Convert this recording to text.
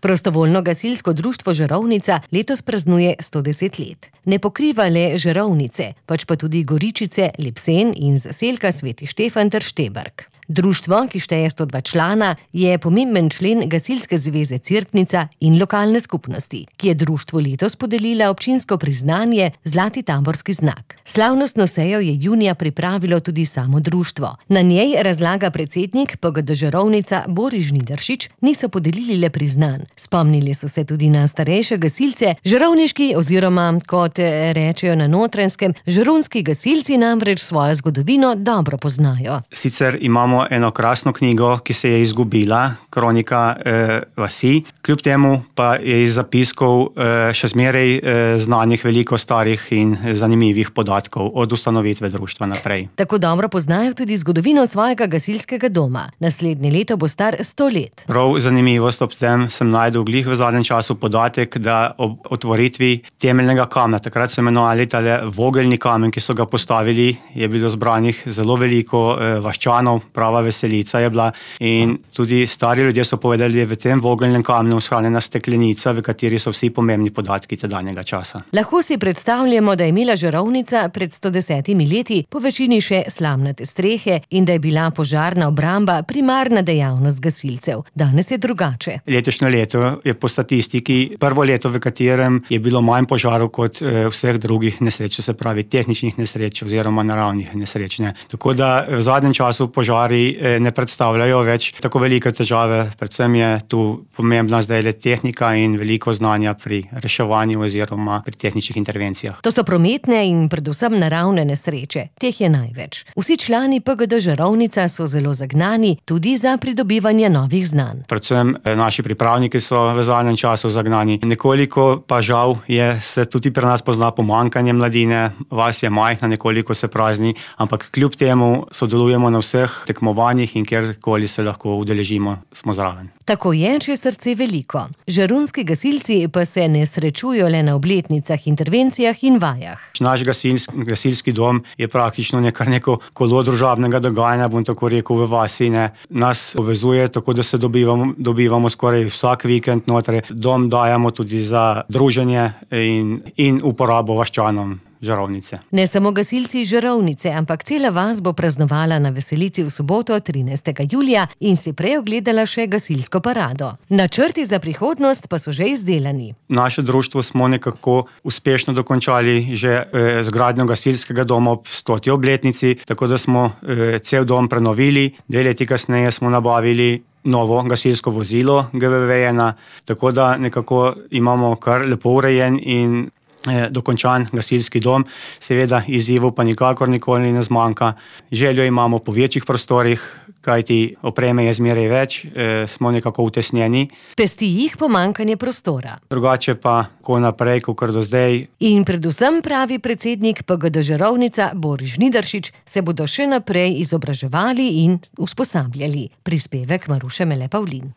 Prostovoljno gasilsko društvo Žarovnica letos praznuje 110 let. Ne pokriva le Žarovnice, pač pa tudi Goričice, Lipsen in zaselka Sveti Štefan ter Šteberk. Društvo, ki šteje 102 člana, je pomemben člen Gasilske zveze Cerknica in lokalne skupnosti, ki je društvu letos podelila občinsko priznanje Zlati taborski znak. Slavnostno sejo je junija pripravilo tudi samo društvo. Na njej, razlaga predsednik PGD Žarovnica Boris Žnidaršič, niso podelili le priznanj. Spomnili so se tudi na starejše gasilce, žarovniški oziroma, kot rečejo na Notranjskem, žarovnski gasilci namreč svojo zgodovino dobro poznajo. Sicer imamo eno krasno knjigo, ki se je izgubila, Kronika vasi. Kljub temu pa je iz zapiskov še zmeraj znanih veliko starih in zanimivih podatkov od ustanovitve društva naprej. Tako dobro poznajo tudi zgodovino svojega gasilskega doma. Naslednje leto bo star 100 let. Prav zanimivost ob tem sem našel glih v zadnjem času podatek, da ob otvoritvi temeljnega kamna, takrat so imenovali tale vogelni kamen, ki so ga postavili, je bilo zbranih zelo veliko vaščanov, prava veselica je bila, in tudi stari ljudje so povedali, da je v tem vogelnem kamnu shranjena steklenica, v kateri so vsi pomembni podatki tedanjega časa. Lahko si predstavljamo, da je imela Žarovnica pred 110 leti po večini še slamnate strehe in da je bila požarna obramba primarna dejavnost gasilcev. Danes je drugače. Letošnje leto je po statistiki prvo leto, v katerem je bilo manj požarov kot vseh drugih nesreč, se pravi tehničnih nesreč oziroma naravnih nesreč. Tako da v zadnjem času požari ne predstavljajo več tako velike težave, predvsem je tu pomembna zdaj le tehnika in veliko znanja pri reševanju oziroma pri tehničnih intervencijah. To so prometne in predvsem naravne nesreče, teh je največ. Vsi člani PGD Žarovnica so zelo zagnani tudi za pridobivanje novih znanj. Predvsem naši pripravniki so v zadnjem času zagnani. Nekoliko pa žal se tudi pri nas pozna pomanjkanje mladine, vas je majhna, nekoliko se prazni, ampak kljub temu sodelujemo na vseh tekmovanjih in kjerkoli se lahko udeležimo, smo zraven. Tako je, če je srce veliko. Žarunski gasilci pa se ne srečujo le na obletnicah, intervencijah in vajah. Naš gasilski dom je praktično neko kolo družabnega dogajanja, bom tako rekel, v vasi. Nas povezuje tako, da se dobivamo skoraj vsak vikend noter. Dom dajemo tudi za druženje in uporabo vaščanom Žarovnice. Ne samo gasilci Žarovnice, ampak cela vas bo praznovala na veselici v soboto 13. julija in si prej ogledala še gasilsko parado. Načrti za prihodnost pa so že izdelani. Naše društvo smo nekako uspešno dokončali že zgradnjo gasilskega doma ob 100. obletnici, tako da smo cel dom prenovili. 2 leti kasneje smo nabavili novo gasilsko vozilo GVV-1, tako da nekako imamo kar lepo urejen in dokončan gasilski dom. Seveda izzivov pa nikakor nikoli ne zmanjka. Željo imamo po večjih prostorih, kajti opreme je zmeraj več, smo nekako utesnjeni. Pesti jih pomanjkanje prostora. Drugače pa ko naprej, kakor do zdaj. In predvsem, pravi predsednik PGD Žarovnica Boris Žnidaršič, se bodo še naprej izobraževali in usposabljali. Prispevek Maruše Mele Pavlin.